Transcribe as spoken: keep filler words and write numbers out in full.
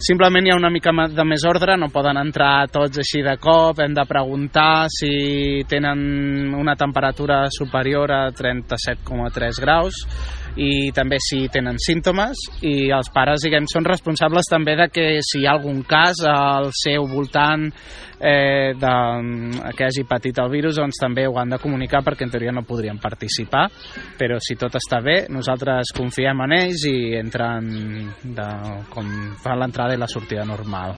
Simplement hi ha una mica de més ordre, no poden entrar tots així de cop, hem de preguntar si tenen una temperatura superior a trenta-set coma tres graus i també si tenen símptomes, i els pares, diguem, són responsables també de que si hi ha algun cas al seu voltant eh, de, que hagi patit el virus, doncs també ho han de comunicar, perquè en teoria no podrien participar, però si tot està bé, nosaltres confiem en ells i entren de, com fan l'entrada i la sortida normal.